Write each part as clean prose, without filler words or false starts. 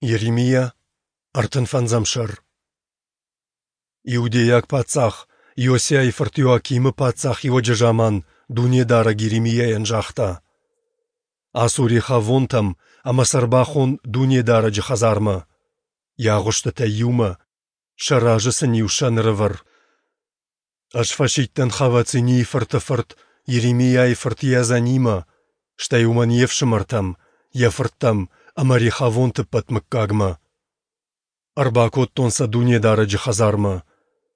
Йеремиа, ӕртынфӕндзӕм сӕр. Иудейаг паддзах Иосиайы фырт Иоакимы паддзахиуӕджы заман Дунедарӕг Йеремиайӕн загъта: Ацу Рехавонтӕм ӕмӕ сӕ ӕрбахон Дунедарӕджы хӕдзармӕ, йӕ агъуыстытӕй иумӕ, сӕ разы сын-иу сӕн ӕрӕвӕр. Ӕз фӕсидтӕн Хавацинийы фырты фырт Йеремиайы фырт Иазанимӕ, стӕй уымӕн йе фсымӕртӕм, йӕ фырттӕм ӕмӕ Рехавонты ӕппӕт мыггагмӕ. Ӕрбакодтон сӕ Дунедарӕджы хӕдзармӕ,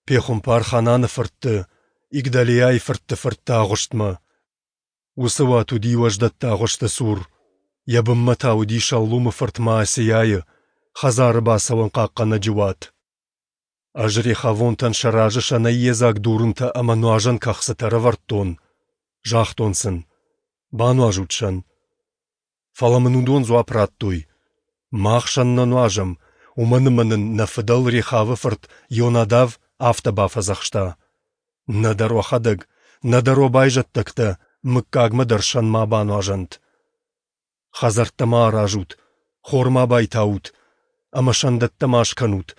пехуымпар Хананы фыртты, Игдалиайы фыртты фыртты агъуыстмӕ. Уыцы уат уыди уӕздӕтты агъуысты цур, йӕ бынмӕ та уыди Шаллумы фырт Маасейайы, хӕдзары бацӕуӕн хъахъхъӕнӕджы уат. Ӕз рехавонтӕн сӕ разы сӕнӕй йедзаг дурынтӕ ӕмӕ нуазӕн кӕхцытӕ ӕрӕвӕрдтон, загътон сын: «Бануазут сӕн». Фӕлӕ мын уыдон дзуапп радтой: «Мах сӕн нӕ нуазӕм, уымӕн ӕмӕ нын нӕ фыдӕл Рехавы фырт Ионадав афтӕ бафӕдзӕхста: Нӕдӕр уӕхӕдӕг, нӕдӕр уӕ байзӕддӕгтӕ мыггагмӕ дӕр сӕн ма бануазӕнт. Хӕдзӕрттӕ ма аразут, хор ма байтаут ӕмӕ сӕндӕттӕ ма скӕнут,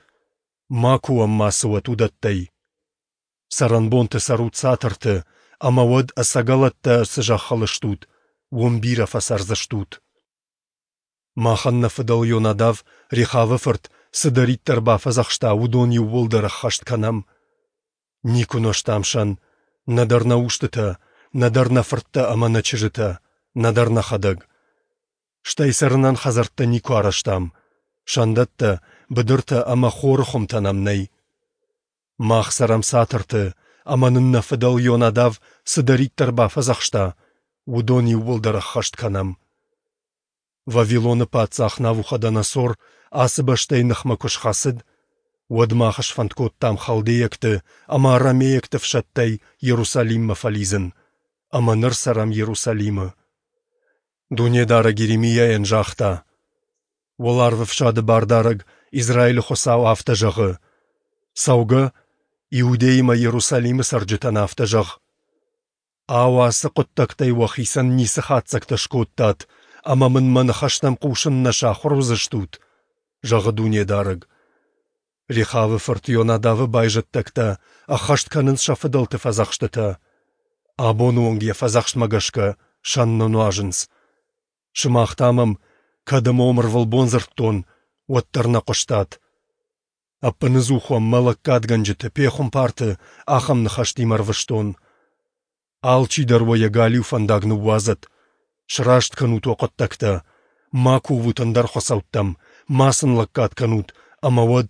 Макуы уӕм мацы уӕт уыдӕттӕй. Цӕрӕнбонты цӕрут цатырты, ӕмӕ уӕд ӕцӕгӕлӕттӕ цы зӕххыл стут, уым бирӕ фӕцӕрдзыстут. Махӕн нӕ фыдӕл Йонадав, Рехавы фырт, цыдӕриддӕр бафӕдзӕхста, уыдон иууылдӕр ӕххӕст кӕнӕм. Никуы нозтам сӕн, нӕдӕр нӕ устытӕ, нӕдӕр нӕ фырттӕ ӕмӕ нӕ чызджытӕ, нӕдӕр нӕхӕдӕг. Стӕй цӕрынӕн хӕдзӕрттӕ никуы арӕзтам, сӕндӕттӕ, быдыртӕ ӕмӕ хоры хуымтӕ нӕм нӕй. Мах цӕрӕм цатырты, ӕмӕ нын нӕ фыдӕл Йонадав цыдӕриддӕр бафӕдзӕхста, уыдон иууылдӕр ӕххӕст кӕнӕм. Вавилоны паддзах Навуходоносор ацы бӕстӕйы ныхмӕ куы схӕцыд, уӕд мах сфӕнд кодтам халдейӕгты ӕмӕ арамейӕгты ӕфсӕдтӕй Иерусалиммӕ фӕлидзын, ӕмӕ ныр цӕрӕм Иерусалимы. Дунедарӕг Йеремиайӕн загъта: Уӕларвӕфсады Бардарӕг, Израилы Хуыцау афтӕ зӕгъы: Цӕугӕ, Иудейы мӕ Иерусалимы цӕрджытӕн афтӕ зӕгъ: Ау, ацы хъуыддӕгтӕй уӕхицӕн ницы хатдзӕгтӕ скодтат ӕмӕ мын мӕ ныхӕстӕм хъусын нӕ сахуыр уыдзыстут? зӕгъы Дунедарӕг. Рехавы фырт Ионадавы байзӕддӕгтӕ ӕххӕст кӕнынц сӕ фыдӕлты фӕдзӕхстытӕ. Абоны онг йӕ фӕдзӕхстмӕ гӕсгӕ сӕн нӕ нуазынц. Сымах та мӕм, кӕд ӕмӕ уӕм ӕрвылбон дзырдтон, уӕддӕр нӕ хъуыстат. Ӕппыныдзух уӕм мӕ лӕггадгӕнджыты, пехуымпарты ахӕм ныхӕстимӕ ӕрвыстон. Алчидӕр уӕ йӕ галиу фӕндаг ныууадзӕд, сраст кӕнут уӕ хъуыддӕгтӕ, ма кувут ӕндӕр хуыцӕуттӕм, ма сын лӕггад кӕнут, ӕмӕ уӕд,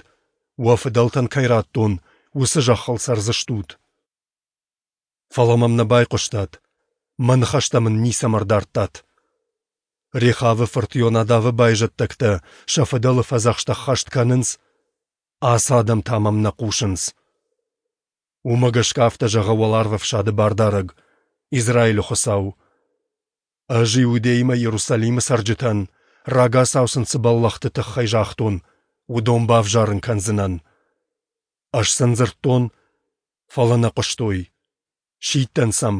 уӕ фыдӕлтӕн кӕй радтон, уыцы зӕххыл цӕрдзыстут. Фӕлӕ мӕм нӕ байхъуыстат, мӕ ныхӕстӕ мын ницӕмӕ ӕрдардтат. Рехавы фырт Ионадавы байзӕддӕгтӕ сӕ фыдӕлы фӕдзӕхст ӕххӕст кӕнынц, ацы адӕм та мӕм нӕ хъусынц. Уымӕ гӕсгӕ афтӕ зӕгъы Уӕларвӕфсады Бардарӕг, Израилы Хуыцау: Ӕз Иудеймӕ Иерусалимы цӕрджытӕн, рагацау сын цы бӕллӕхты тыххӕй загътон, уыдон бавзарын кӕндзынӕн. Ӕз сын дзырдтон, фӕлӕ нӕ хъуыстой, сидтӕн сӕм,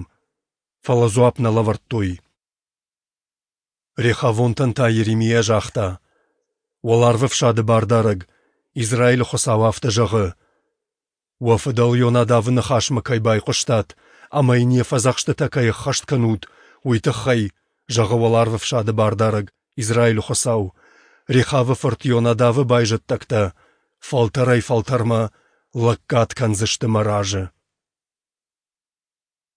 фӕлӕ дзуапп нӕ лӕвӕрдтой. Рехавонтӕн та Йеремиа загъта: Уӕларвӕфсады Бардарӕг, Израилы Хуыцау афтӕ зӕгъы: Уӕ фыдӕл Ионадавы ныхасмӕ кӕй байхъуыстат ӕмӕ йын йӕ фӕдзӕхстытӕ кӕй ӕххӕст кӕнут, уый тыххӕй, зӕгъы Уӕларвӕфсады Бардарӕг, Израилы Хуыцау, Рехавы фырт Ионадавы байзӕддӕгтӕ фӕлтӕрӕй-фӕлтӕрмӕ лӕггад кӕндзысты мӕ разы.